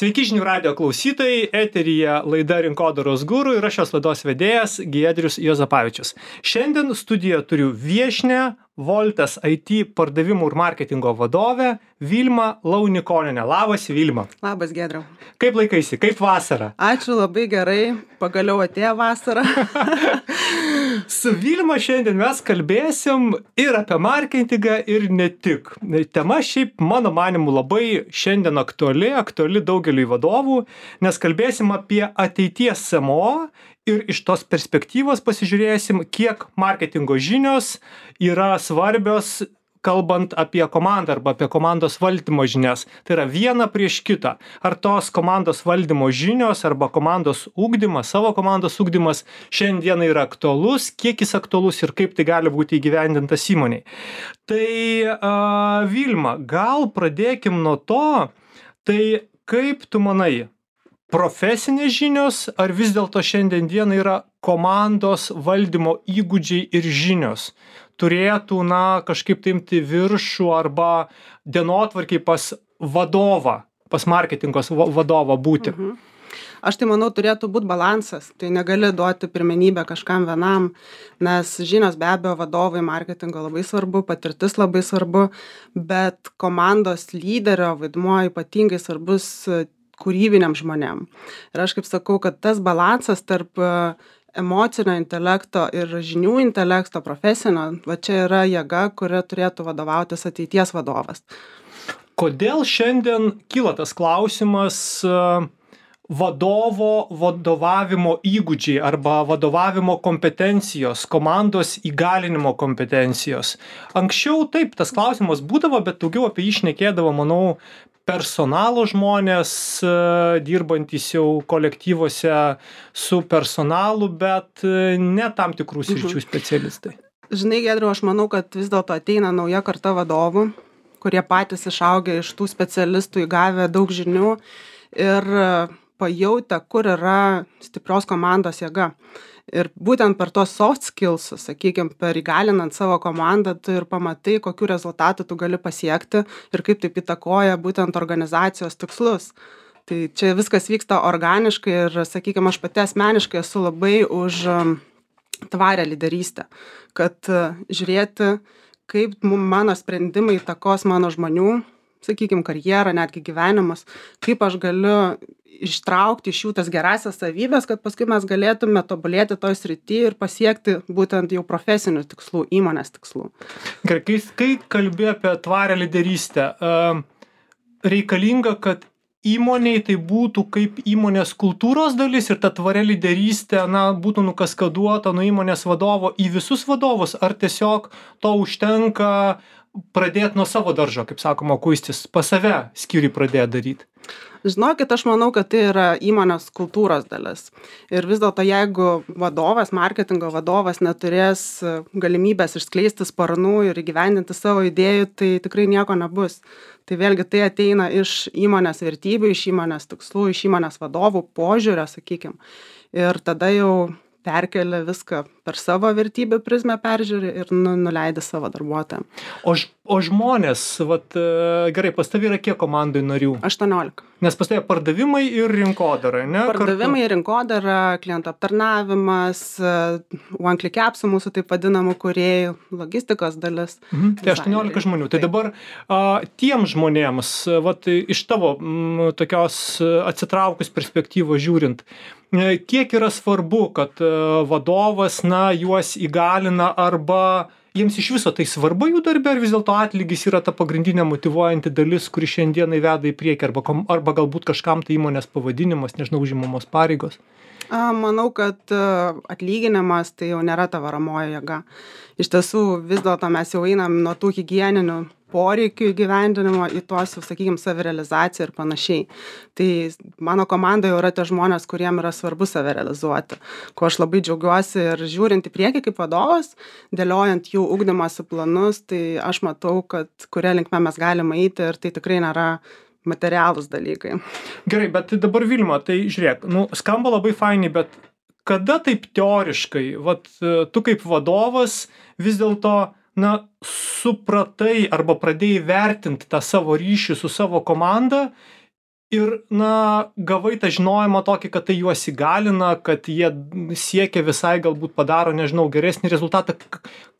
Sveiki žinių radijo klausytojai, eteryje laida Rinkodaros guru ir aš šios laidos vedėjas Giedrius Juozapavičius. Šiandien studijoje turiu viešnią Voltas IT pardavimų ir marketingo vadovę Vilmą Launikonienę. Labas, Vilma. Labas, Giedriau. Kaip laikaisi, kaip vasara? Ačiū, labai gerai, pagaliau atėjo vasara. Su Vilma šiandien mes kalbėsim ir apie marketingą ir ne tik. Tema šiaip mano manimu labai šiandien aktuali daugeliui vadovų, nes kalbėsim apie ateities CMO ir iš tos perspektyvos pasižiūrėsim, kiek marketingo žinios yra svarbios, kalbant apie komandą arba apie komandos valdymo žinias. Tai yra viena prieš kitą. Ar tos komandos valdymo žinios arba komandos ugdymas, savo komandos ugdymas šiandien yra aktualus, kiek jis aktualus ir kaip tai gali būti įgyvendintas įmoniai. Tai Vilma, gal pradėkim nuo to, tai kaip tu manai, profesinės žinios ar vis dėlto šiandien dieną yra komandos valdymo įgūdžiai ir žinios turėtų, kažkaip imti viršų arba dienotvarkiai pas vadovą, pas marketingos vadovą būti? Aš tai manau, turėtų būti balansas. Tai negali duoti pirmenybę kažkam vienam, nes žinios be abejo vadovai marketingo labai svarbu, patirtis labai svarbu, bet komandos lyderio vaidmuo ypatingai svarbus kūrybiniam žmonėm. Ir aš kaip sakau, kad tas balansas tarp emocinio intelekto ir žinių intelekto profesinio, va čia yra jėga, kuria turėtų vadovautis ateities vadovas. Kodėl šiandien kyla tas klausimas vadovavimo įgūdžiai arba vadovavimo kompetencijos, komandos įgalinimo kompetencijos? Anksčiau taip, tas klausimas būdavo, bet daugiau apie jį šnekėdavo, manau, personalo žmonės, dirbantys jau kolektyvuose su personalu, bet ne tam tikrų sričių specialistai. Žinai, Giedriau, aš manau, kad vis dėlto ateina nauja karta vadovų, kurie patys išaugę iš tų specialistų, įgavę daug žinių ir pajautę, kur yra stiprios komandos jėga. Ir būtent per tos soft skills, sakykime, per įgalinant savo komandą, tu ir pamatai, kokių rezultatų tu gali pasiekti ir kaip taip įtakoja būtent organizacijos tikslus. Tai čia viskas vyksta organiškai ir, sakykime, aš pati asmeniškai esu labai už tvarę lyderystę, kad žiūrėti, kaip mano sprendimai įtakos mano žmonių, sakykime, karjerą, netgi gyvenimus, kaip aš galiu ištraukti iš jų tas gerasias savybės, kad paskui mes galėtume tobulėti toj srity ir pasiekti būtent jau profesinių tikslų, įmonės tikslų. Gerai, kai kalbi apie tvarę lyderystę, reikalinga, kad įmoniai tai būtų kaip įmonės kultūros dalis ir ta tvaria lyderystė būtų nukaskaduota nuo įmonės vadovo į visus vadovus, ar tiesiog to užtenka pradėti nuo savo daržo, kaip sakoma, kuistis, pas save skyriui pradėti daryti? Žinokit, aš manau, kad tai yra įmonės kultūros dalis. Ir vis dėlto, jeigu vadovas, marketingo vadovas neturės galimybės išskleisti sparnų ir įgyvendinti savo idėjų, tai tikrai nieko nebus. Tai vėlgi tai ateina iš įmonės vertybių, iš įmonės tikslų, iš įmonės vadovų požiūrio, sakykime. Ir tada jau perkelia viską per savo vertybių prizmę peržiūri ir nuleidi savo darbuotojam. O žmonės, gerai, pas tavį yra kiek komandai narių? 18. Nes pas tavį pardavimai ir rinkodara, ne? Pardavimai, rinkodara, klientų aptarnavimas, one click appsų mūsų taip vadinamų kūrėjų, logistikos dalis. Tai 18 žmonių. Tai dabar tiem žmonėms, iš tavo tokios atsitraukus perspektyvos žiūrint, kiek yra svarbu, kad vadovas, juos įgalina arba jiems iš viso tai svarbu jų darbe, ar vis dėlto atlygis yra ta pagrindinė motyvuojanti dalis, kuri šiandieną veda į priekį, arba galbūt kažkam tai įmonės pavadinimas, nežinau, užimamos pareigos? Manau, kad atlyginimas tai jau nėra ta varomoji jėga. Iš tiesų, vis dėlto mes jau einam nuo tų higieninių poreikių įgyvendinimo į tuos, sakykime, savirealizaciją ir panašiai. Tai mano komanda jau yra tie žmonės, kuriem yra svarbu savirealizuoti, ko aš labai džiaugiuosi ir žiūrint į priekį kaip vadovas, dėliojant jų ugdymosi planus, tai aš matau, kad kuria linkme mes galime eiti ir tai tikrai nėra materialūs dalykai. Gerai, bet dabar Vilma, tai žiūrėk, skamba labai fainai, bet kada taip teoriškai, tu kaip vadovas vis dėlto supratai arba pradėjai vertinti tą savo ryšį su savo komanda ir, gavai tą žinojimą tokį, kad tai juos įgalina, kad jie siekia visai, galbūt padaro, nežinau, geresnį rezultatą.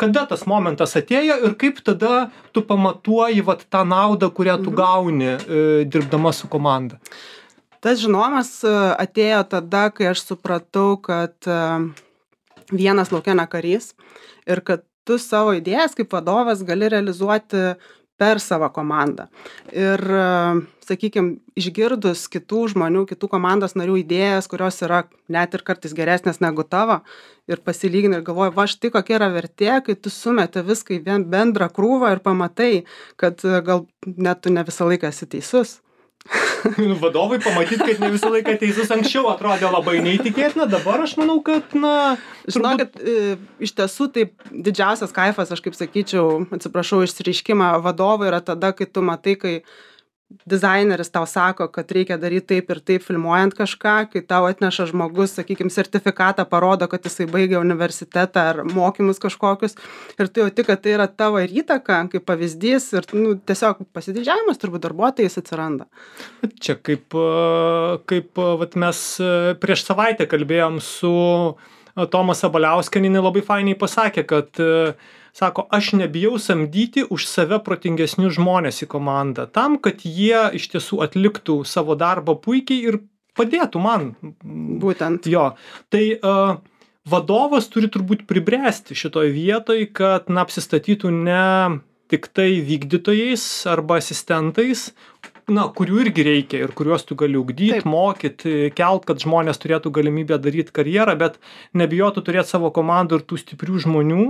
Kada tas momentas atėjo ir kaip tada tu pamatuoji vat tą naudą, kurią tu gauni dirbdama su komanda? Tas žinojimas atėjo tada, kai aš supratau, kad vienas lauke ne karys ir kad tu savo idėjas kaip vadovas gali realizuoti per savo komandą. Ir, sakykime, išgirdus kitų žmonių, kitų komandos narių idėjas, kurios yra net ir kartais geresnės negu tavo, ir pasilygini ir galvoji, va štai kokia yra vertė, kai tu sumeti viską į bendrą krūvą ir pamatai, kad gal net tu ne visą laiką esi teisus. Vadovai pamatyti, kad ne visą laiką teisus anksčiau atrodė labai neįtikėtina, dabar aš manau, kad, Žinokit, iš tiesų taip didžiausias kaifas, aš kaip sakyčiau, atsiprašau, išsireiškimą vadovai yra tada, kai tu matai, kai dizaineris tau sako, kad reikia daryti taip ir taip filmuojant kažką, kai tau atneša žmogus, sakykime, sertifikatą parodo, kad jisai baigė universitetą ar mokymus kažkokius ir tu jauti, kad tai yra tavo ir įtaka, kaip pavyzdys ir tiesiog pasididžiavimas turbūt darbuotojais atsiranda. Čia kaip vat mes prieš savaitę kalbėjom su Toma Sabaliauskienė, labai fainiai pasakė, kad sako, aš nebijau samdyti už save protingesnius žmonės į komandą, tam, kad jie iš tiesų atliktų savo darbą puikiai ir padėtų man. Būtent. Jo. Tai vadovas turi turbūt pribręsti šitoj vietoj, kad apsistatytų ne tik tai vykdytojais arba asistentais, kurių irgi reikia ir kuriuos tu gali ugdyti, mokyti, kelt, kad žmonės turėtų galimybę daryti karjerą, bet nebijotų turėti savo komandų ir tų stiprių žmonių,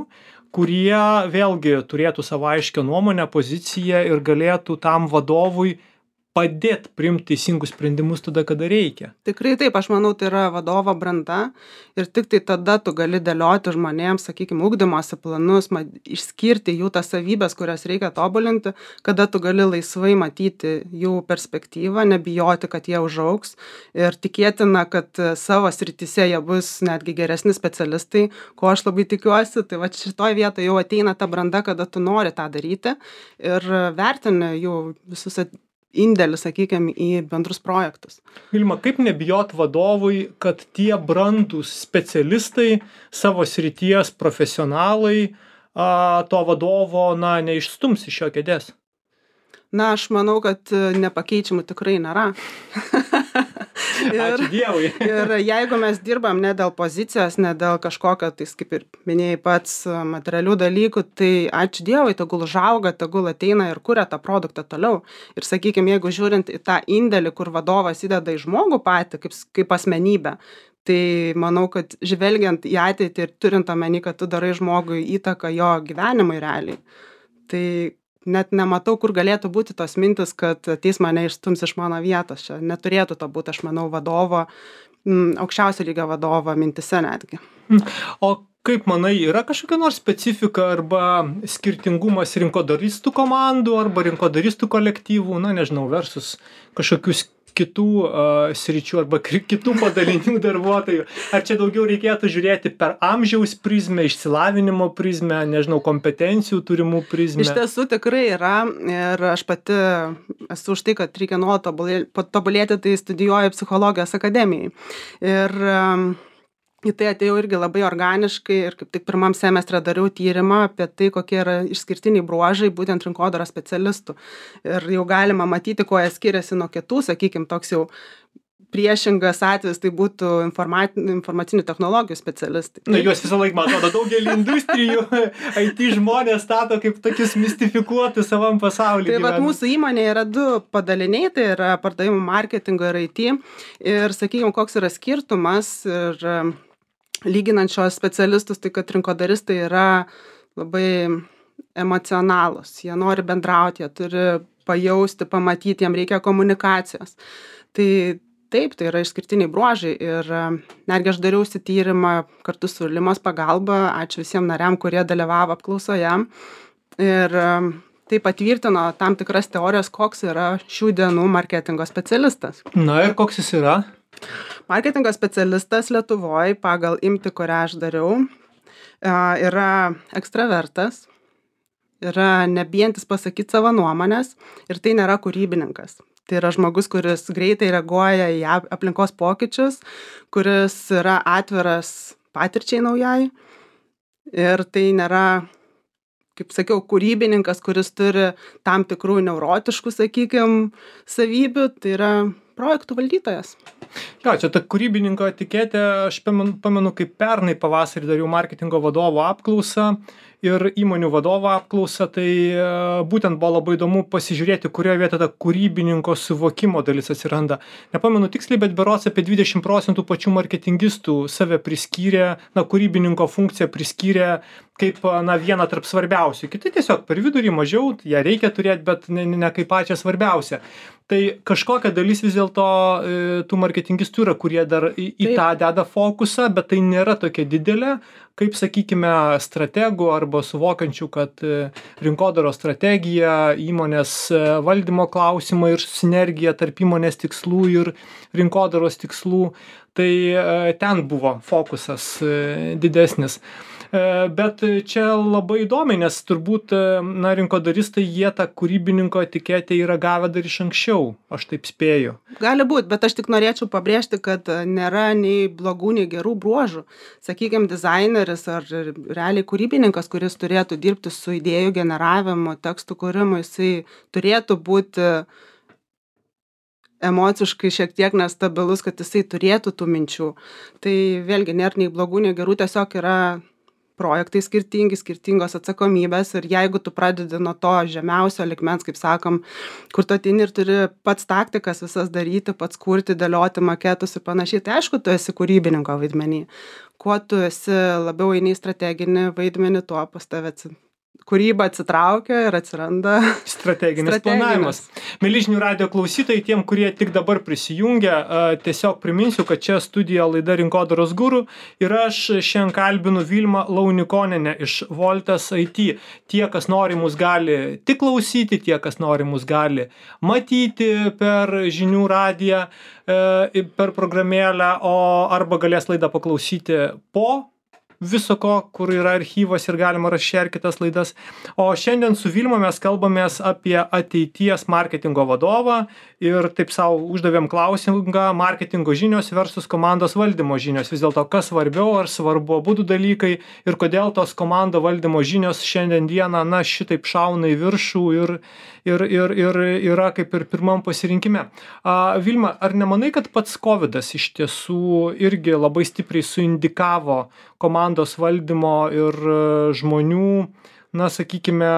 kurie vėlgi turėtų savo aiškią nuomonę, poziciją ir galėtų tam vadovui padėti priimti teisingus sprendimus tada, kada reikia. Tikrai taip, aš manau, tai yra vadovo branda ir tik tai tada tu gali dėlioti žmonėms, sakykime, ugdymosi planus, išskirti jų tas savybės, kurias reikia tobulinti, kada tu gali laisvai matyti jų perspektyvą, nebijoti, kad jie užaugs ir tikėtina, kad savo srityse jie bus netgi geresni specialistai, ko aš labai tikiuosi, tai va šitoj vietoje jau ateina ta branda, kada tu nori tą daryti ir vertini jų visus indėlį, sakykime, į bendrus projektus. Vilma, kaip nebijot vadovui, kad tie brandūs specialistai, savo srities profesionalai, to vadovo, neišstums iš jo kėdės? Aš manau, kad nepakeičiamų tikrai nėra. Ačiū Dievui. Ir jeigu mes dirbam ne dėl pozicijos, ne dėl kažkokio, tai kaip ir minėjai pats materialių dalykų, tai ačiū Dievui, tegul užauga, tegul ateina ir kuria tą produktą toliau. Ir sakykime, jeigu žiūrint į tą indėlį, kur vadovas įdeda į žmogų patį, kaip asmenybę, tai manau, kad žvelgiant į ateitį ir turint omeny, kad tu darai žmogui įtaką jo gyvenimui realiai, tai net nematau, kur galėtų būti tos mintis, kad ateis mane išstums iš mano vietos. Čia neturėtų to būti, aš manau, vadovo, aukščiausio lygio vadovo mintise netgi. O kaip manai, yra kažkokia nors specifika arba skirtingumas rinkodaristų komandų arba rinkodaristų kolektyvų, nežinau, versus kažkokius kitų sričių arba kitų padalinių darbuotojų? Ar čia daugiau reikėtų žiūrėti per amžiaus prizmę, išsilavinimo prizmę, nežinau, kompetencijų turimų prizmę? Iš tiesų tikrai yra ir aš pati esu už tai, kad reikia nuolat tobulėti, tai studijuoju psichologijos akademijai. Ir į tai atėjau irgi labai organiškai ir kaip tik pirmam semestre dariau tyrimą apie tai, kokie yra išskirtiniai bruožai būtent rinkodaros specialistų. Ir jau galima matyti, kuo jie skiriasi nuo kitų, sakykime, toks jau priešingas atvejis, tai būtų informacinių technologijų specialistai. Juos visą laiką, man atrodo, daugelį industrijų IT žmonės stato kaip tokius mistifikuotus savam pasaulyje. Tai vat mūsų įmonė yra 2 padaliniai, tai yra pardavimų marketingo ir IT. Ir sakykime, koks yra skirtumas ir lyginant šios specialistus, tai kad rinkodaristai yra labai emocionalūs. Jie nori bendrauti, jie turi pajausti, pamatyti, jiem reikia komunikacijos. Tai taip, tai yra išskirtiniai bruožai ir netgi aš dariausi tyrimą kartu su Limos pagalba, ačiū visiems nariam, kurie dalyvavo apklausoje ir tai patvirtino tam tikras teorijas, koks yra šių dienų marketingo specialistas. Ir koks jis yra? Marketingo specialistas Lietuvoje pagal imtį, kurią aš dariau, yra ekstravertas, yra nebijantis pasakyti savo nuomonės ir tai nėra kūrybininkas. Tai yra žmogus, kuris greitai reaguoja į aplinkos pokyčius, kuris yra atviras patirčiai naujai. Ir tai nėra, kaip sakiau, kūrybininkas, kuris turi tam tikrų neurotiškų, sakykime, savybių. Tai yra projektų valdytojas. Jo, čia ta kūrybininko etiketė, aš pamenu, kaip pernai pavasarį dariau marketingo vadovo apklausą ir įmonių vadovo apklausą, tai būtent buvo labai įdomu pasižiūrėti, kurioje vietoje ta kūrybininko suvokimo dalis atsiranda. Nepamenu tiksliai, bet berods apie 20% pačių marketingistų save priskyrė, kūrybininko funkciją priskyrė kaip vieną tarp svarbiausių. Kiti tiesiog per vidurį mažiau, ją reikia turėti, bet ne kaip pačią svarbiausią. Tai kažkokia dalis vis dėlto tų marketingistų yra, kurie dar į tą deda fokusą, bet tai nėra tokia didelė, kaip, sakykime, strategų arba suvokiančių, kad rinkodaros strategija, įmonės valdymo klausimai ir sinergija tarp įmonės tikslų ir rinkodaros tikslų, tai ten buvo fokusas didesnis. Bet čia labai įdomi, nes turbūt rinkodaristai jie tą kūrybininko etiketę yra gavę dar iš anksčiau, aš taip spėju. Gali būt, bet aš tik norėčiau pabrėžti, kad nėra nei blogų, nei gerų bruožų. Sakykime, dizaineris ar realiai kūrybininkas, kuris turėtų dirbti su idėjų generavimu, tekstų kūrimu, jisai turėtų būti emociškai šiek tiek nestabilus, kad jisai turėtų tų minčių. Tai vėlgi nėra nei blogų, nei gerų, tiesiog yra projektai skirtingi, skirtingos atsakomybės ir jeigu tu pradedi nuo to žemiausio lygmens, kaip sakom, kur tu ateini ir turi pats taktikas visas daryti, pats kurti, dėlioti maketus ir panašiai, tai aišku, tu esi kūrybininko vaidmenį. Kuo tu esi labiau eini į strateginį vaidmenį, tuo pas tave kūryba atsitraukia ir atsiranda strateginis planavimas. Mieli žinių radijo klausytojai, tiem, kurie tik dabar prisijungia, tiesiog priminsiu, kad čia studija laida Rinkodaros guru ir aš šiandien kalbinu Vilmą Launikonienę iš Voltas IT. Tie, kas nori, mus gali tik klausyti, tie, kas nori, mus gali matyti per žinių radiją, per programėlę, arba galės laidą paklausyti po viso ko, kur yra archyvas ir galima rasti ir kitas laidas. O šiandien su Vilma mes kalbamės apie ateities marketingo vadovą ir taip savo uždavėm klausimą marketingo žinios versus komandos valdymo žinios. Vis dėlto, kas svarbiau, ar svarbu abudu dalykai ir kodėl tos komando valdymo žinios šiandien dieną, šitaip šauna į viršų ir yra kaip ir pirmam pasirinkime. Vilma, ar nemanai, kad pats COVIDas iš tiesų irgi labai stipriai suindikavo komandos valdymo ir žmonių, sakykime,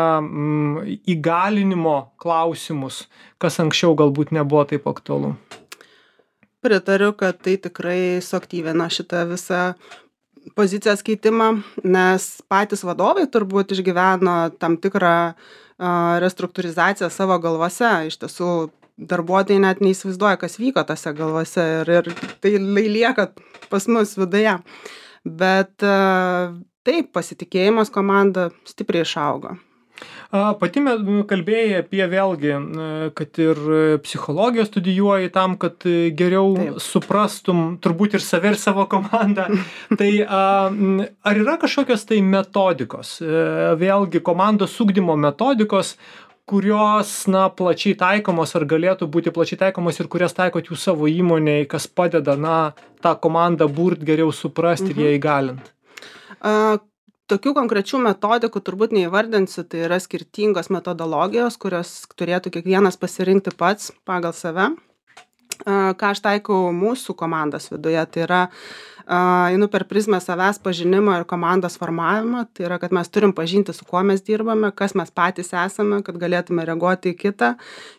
įgalinimo klausimus, kas anksčiau galbūt nebuvo taip aktualu? Pritariu, kad tai tikrai suaktyvino šitą visą pozicijos keitimą, nes patys vadovai turbūt išgyveno tam tikrą restruktūrizaciją savo galvose. Iš tiesų, darbuotojai net neįsivaizduoja, kas vyko tose galvose ir tai lieka pas mus viduje. Bet taip, pasitikėjimas komanda stipriai išaugo. Pati kalbėjai apie vėlgi, kad ir psichologiją studijuoji tam, kad geriau suprastum turbūt ir save ir savo komandą. Tai ar yra kažkokios tai metodikos, vėlgi komandos ugdymo metodikos, kurios plačiai taikomos ar galėtų būti plačiai taikomos ir kurias taikot jūs savo įmonėje, kas padeda tą komandą burt geriau suprasti ir ją įgalint? Tokių konkrečių metodikų turbūt neįvardinsiu, tai yra skirtingos metodologijos, kurios turėtų kiekvienas pasirinkti pats pagal save. Ką aš taikau mūsų komandos viduje, tai yra einu per prizmę savęs pažinimo ir komandos formavimo, tai yra, kad mes turim pažinti, su kuo mes dirbame, kas mes patys esame, kad galėtume reaguoti į kitą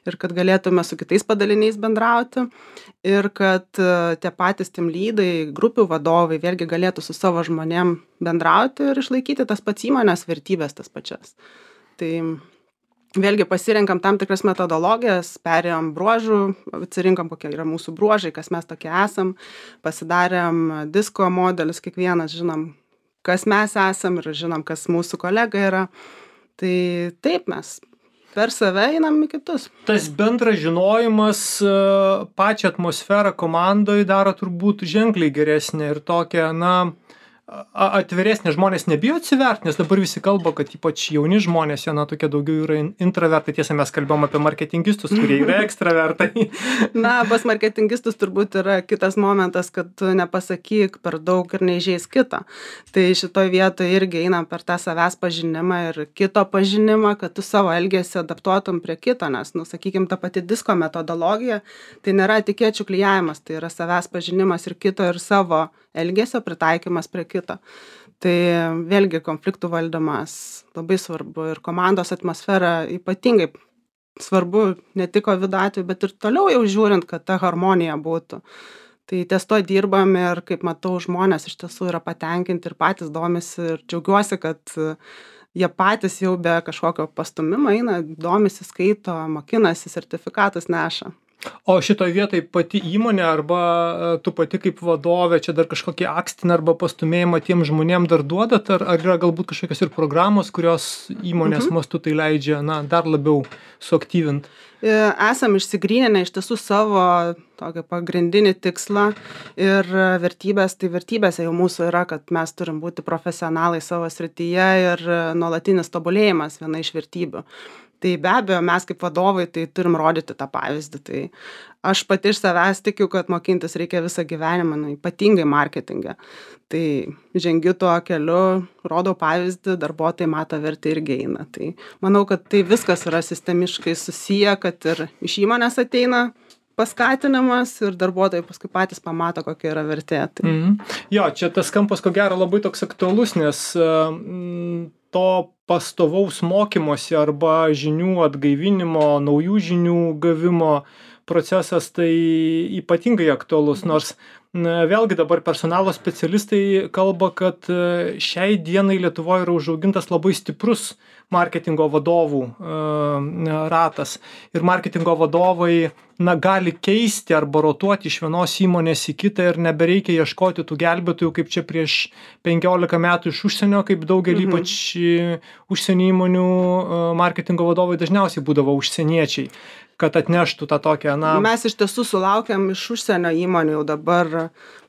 ir kad galėtume su kitais padaliniais bendrauti ir kad tie patys team lydai, grupių vadovai vėlgi galėtų su savo žmonėm bendrauti ir išlaikyti tas pats įmonės vertybės tas pačias. Tai vėlgi pasirenkam tam tikras metodologijas, perėjom bruožų, atsirinkom, kokie yra mūsų bruožai, kas mes tokie esam, pasidarėm disko modelius, kiekvienas žinom, kas mes esam ir žinom, kas mūsų kolega yra. Tai taip mes per save einam į kitus. Tas bendras žinojimas pačią atmosferą komandoje daro turbūt ženkliai geresnė ir tokia, atviresnė, žmonės nebijo atsiverti, nes dabar visi kalba, kad ypač jauni žmonės, jie tokie daugiau yra intravertai. Tiesa, mes kalbėjom apie marketingistus, kurie yra ekstravertai. Na, pas marketingistus turbūt yra kitas momentas, kad tu nepasakyk per daug ir neįžeis kitą. Tai šitoj vietoje irgi einam per tą savęs pažinimą ir kito pažinimą, kad tu savo elgesį adaptuotum prie kito, nes, sakykime, ta pati disko metodologija, tai nėra etikečių klijavimas, tai yra savęs pažinimas ir kito ir savo elgesio pritaikymas prie kito. Tai vėlgi konfliktų valdymas labai svarbu ir komandos atmosfera ypatingai svarbu ne tik COVID atveju, bet ir toliau jau žiūrint, kad ta harmonija būtų. Tai ties to dirbam ir kaip matau, žmonės iš tiesų yra patenkinti ir patys domisi ir džiaugiuosi, kad jie patys jau be kažkokio pastumimo eina, domisi, skaito, mokinasi, sertifikatus neša. O šitoj vietoj pati įmonė arba tu pati kaip vadovė, čia dar kažkokį akstiną arba pastumėjimą tiem žmonėm dar duodat, ar yra galbūt kažkokios ir programos, kurios įmonės mastu tai leidžia, dar labiau suaktyvint? Esam išsigryninę iš tiesų savo tokį pagrindinį tikslą ir vertybės, tai vertybėse jau mūsų yra, kad mes turim būti profesionalai savo srityje ir nuolatinis tobulėjimas viena iš vertybių. Tai be abejo, mes kaip vadovai tai turim rodyti tą pavyzdį. Tai aš pati iš savęs tikiu, kad mokintis reikia visą gyvenimą, ypatingai marketinge. Tai žengiu tuo keliu, rodau pavyzdį, darbuotojai mato vertę irgi eina. Tai manau, kad tai viskas yra sistemiškai susiję, kad ir iš įmonės ateina paskatinimas ir darbuotojai paskui patys pamato, kokia yra vertė. Tai... Jo, čia tas kampas ko gero labai toks aktualus, nes to pastovaus mokymosi arba žinių atgaivinimo, naujų žinių gavimo procesas tai ypatingai aktualus, nors vėlgi dabar personalo specialistai kalba, kad šiai dienai Lietuvoje yra užaugintas labai stiprus marketingo vadovų ratas ir marketingo vadovai gali keisti arba rotuoti iš vienos įmonės į kitą ir nebereikia ieškoti tų gelbėtojų, kaip čia prieš 15 metų iš užsienio, kaip daugelį ypač užsienio įmonių marketingo vadovai dažniausiai būdavo užsieniečiai, kad atneštų tą tokią, Mes iš tiesų sulaukiam iš užsienio įmonių jau dabar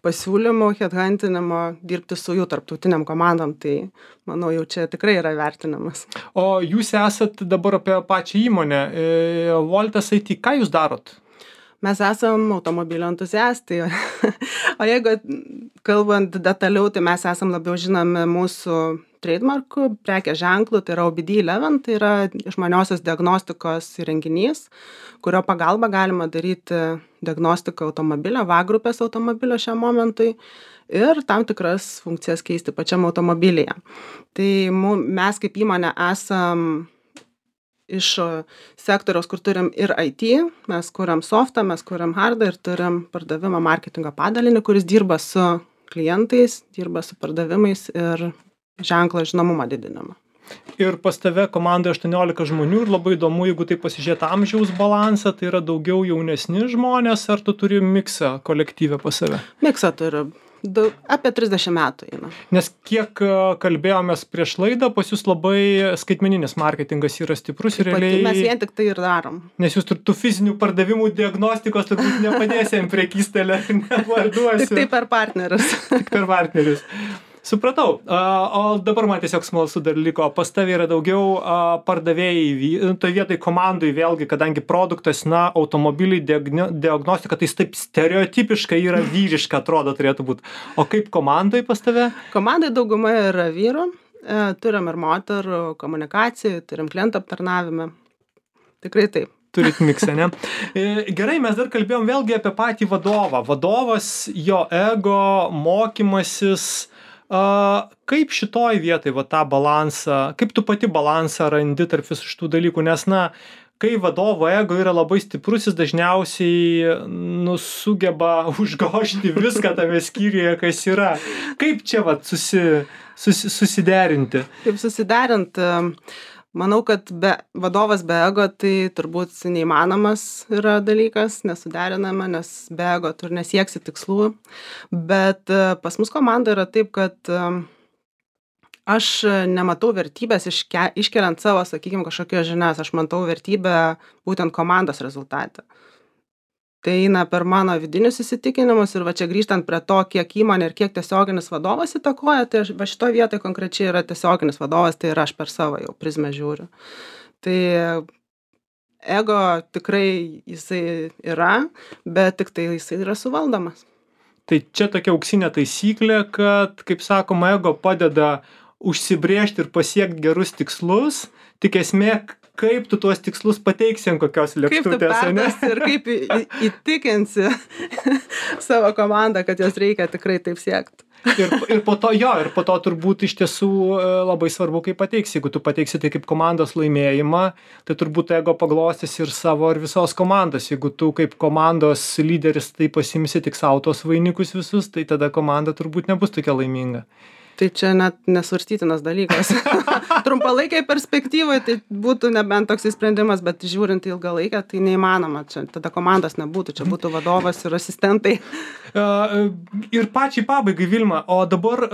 pasiūlymų, headhuntinimo, dirbti su jų tarptautiniam komandom, tai manau jau čia tikrai yra vertinamas. O jūs esat dabar apie pačią įmonę, Voltas IT, ką jūs darot? Mes esam automobilio entuziastai, o jeigu kalbant detaliau, tai mes esam labiau žinomi mūsų trademarkų, prekės ženklų, tai yra OBD11, tai yra išmaniosios diagnostikos įrenginys, kurio pagalba galima daryti diagnostiką automobilio, V grupės automobilio šiam momentui ir tam tikras funkcijas keisti pačiam automobilyje. Tai mes kaip įmonė esam iš sektoriaus, kur turim ir IT, mes kuriam softą, mes kuriam hardą ir turim pardavimo marketingo padalinį, kuris dirba su klientais, dirba su pardavimais ir ženklo žinomumą didinimą. Ir pas tave komandai 18 žmonių ir labai įdomu, jeigu tai pasižiūrėt amžiaus balansą, tai yra daugiau jaunesni žmonės, ar tu turi miksą kolektyvę pas save? Miksą turiu. Apie 30 metų eina. Nes kiek kalbėjomės prieš laidą, pas jūs labai skaitmeninis marketingas yra stiprus ir realiai... Mes vien tik tai ir darom. Nes jūs tų fizinių pardavimų diagnostikos turbūt nepadėsi ant prekystelę ir nevarduosi. Tik tai per partnerius. Tik per partnerius. Supratau. O dabar man tiesiog smalsu dar liko. Pas tavę yra daugiau pardavėjai, toj vietoj komandai vėlgi, kadangi produktas, automobiliai, diagnostika, tai taip stereotipiškai yra vyriška, atrodo, turėtų būti. O kaip komandai pas tave? Komandai dauguma yra vyrų. Turim ir moterų komunikacijų, turim klientų aptarnavimą. Tikrai taip. Turit miksą, ne? Gerai, mes dar kalbėjom vėlgi apie patį vadovą. Vadovas, jo ego, mokymasis. Kaip šitoj vietoj tą balansą, kaip tu pati balansą randi tarp visų šitų dalykų, nes kai vadovo ego yra labai stiprus, jis dažniausiai sugeba užgožti viską tame skyriuje, kas yra. Kaip čia susiderinti? Kaip susiderinti? Manau, kad vadovas be ego tai turbūt neįmanomas yra dalykas, nesuderinama, nes be ego tu nesieksi tikslų. Bet pas mus komanda yra taip, kad aš nematau vertybės iškeliant savo, sakykime, kažkokios žinias. Aš matau vertybę būtent komandos rezultate. tai eina per mano vidinius įsitikinimus ir va čia grįžtant prie to, kiek įmonė ir kiek tiesioginis vadovas įtakoja, tai va šitoje vietoje konkrečiai yra tiesioginis vadovas, tai ir aš per savo jau prizmę žiūriu. Tai ego tikrai jisai yra, bet tik tai jisai yra suvaldomas. Tai čia tokia auksinė taisyklė, kad, kaip sakoma, ego padeda užsibrėžti ir pasiekti gerus tikslus, tik esmė, kaip tu tuos tikslus pateiksi ant kokios lėkštutės. Kaip tu perduosi ir kaip įtikinsi savo komandą, kad jos reikia tikrai taip siekti. Ir po to turbūt iš tiesų labai svarbu, kaip pateiksi. Jeigu tu pateiksi tai kaip komandos laimėjimą, tai turbūt ego paglostys ir savo ir visos komandos. Jeigu tu kaip komandos lyderis tai pasimsi tik savo tos vainikus visus, tai tada komanda turbūt nebus tokia laiminga. Tai čia net nesvarstytinas dalykas. Trumpalaikiai perspektyvai tai būtų nebent toks sprendimas, bet žiūrint į ilgalaikę, tai neįmanoma. Čia tada komandos nebūtų, čia būtų vadovas ir asistentai. Ir pačiai pabaigai, Vilma, o dabar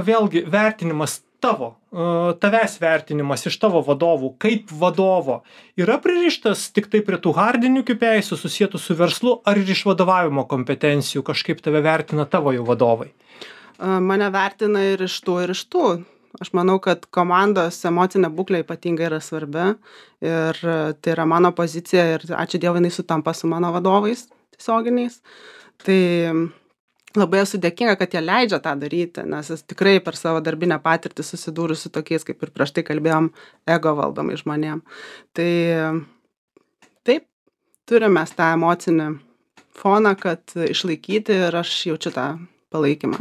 vėlgi vertinimas tavęs vertinimas iš tavo vadovų, kaip vadovo, yra pririštas tik tai prie tų hardinių KPIsų susietų su verslu, ar ir iš vadovavimo kompetencijų kažkaip tave vertina tavo jau vadovai? Mane vertina ir iš tų, ir iš tų. Aš manau, kad komandos emocinė būklė ypatingai yra svarbi ir tai yra mano pozicija ir ačiū Dievui, jinai sutampa su mano vadovais tiesioginiais. Tai labai esu dėkinga, kad jie leidžia tą daryti, nes jis tikrai per savo darbinę patirtį susidūrus su tokiais, kaip ir prieš tai kalbėjom, ego valdomai žmonėm. Tai taip, turime tą emocinį foną, kad išlaikyti ir aš jaučiu tą palaikymą.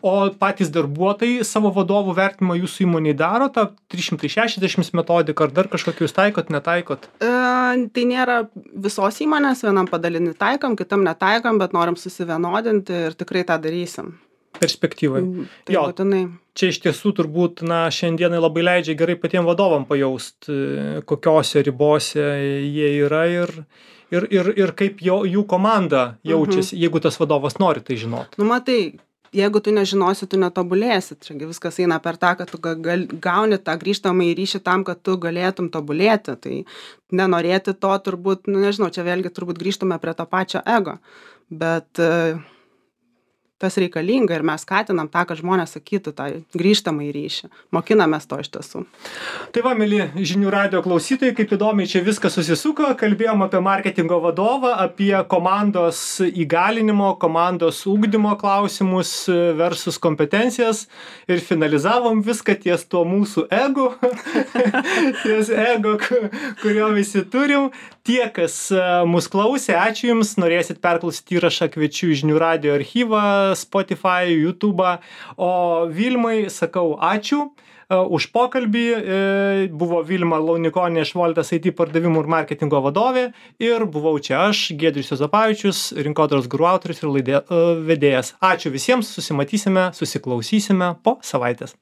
O patys darbuotojai savo vadovų vertinimą jūsų įmonėje daro, tą 360 metodiką, ar dar kažkokį jūs taikot, netaikot? Tai nėra visos įmonės, vienam padalinį taikom, kitam netaikom, bet norim susivienodinti ir tikrai tą darysim. Perspektyvai. Tai būtinai. Čia iš tiesų turbūt, šiandienai labai leidžia gerai patiem vadovam pajaust, kokiose ribose jie yra ir kaip jų komanda jaučiasi, jeigu tas vadovas nori tai žinot. Matai, jeigu tu nežinosi, tu netobulėsi. Čia viskas eina per tą, kad tu gauni tą grįžtamąjį ryšį tam, kad tu galėtum tobulėti. Tai nenorėti to turbūt, nežinau, čia vėlgi turbūt grįžtume prie to pačio ego. Bet tas reikalinga ir mes skatinam tą, kad žmonės sakytų tą grįžtamąjį ryšį. Mokinamės to iš tiesų. Tai va, mieli žinių radijo klausytojai, kaip įdomiai čia viskas susisuko, kalbėjom apie marketingo vadovą, apie komandos įgalinimo, komandos ugdymo klausimus versus kompetencijas ir finalizavom viską ties tuo mūsų ego, ties ego, kurio visi turim. Tie, kas mus klausė, ačiū Jums, norėsit perklausyti įrašą, kviečiu į žinių radijo archyvą, Spotify, YouTube, o Vilmai sakau ačiū už pokalbį. Buvo Vilma Launikonė iš Voltas IT pardavimų ir marketingo vadovė ir buvau čia aš, Giedrius Juozapavičius, rinkodaros guru autorius ir vedėjas. Ačiū visiems, susimatysime, susiklausysime po savaitės.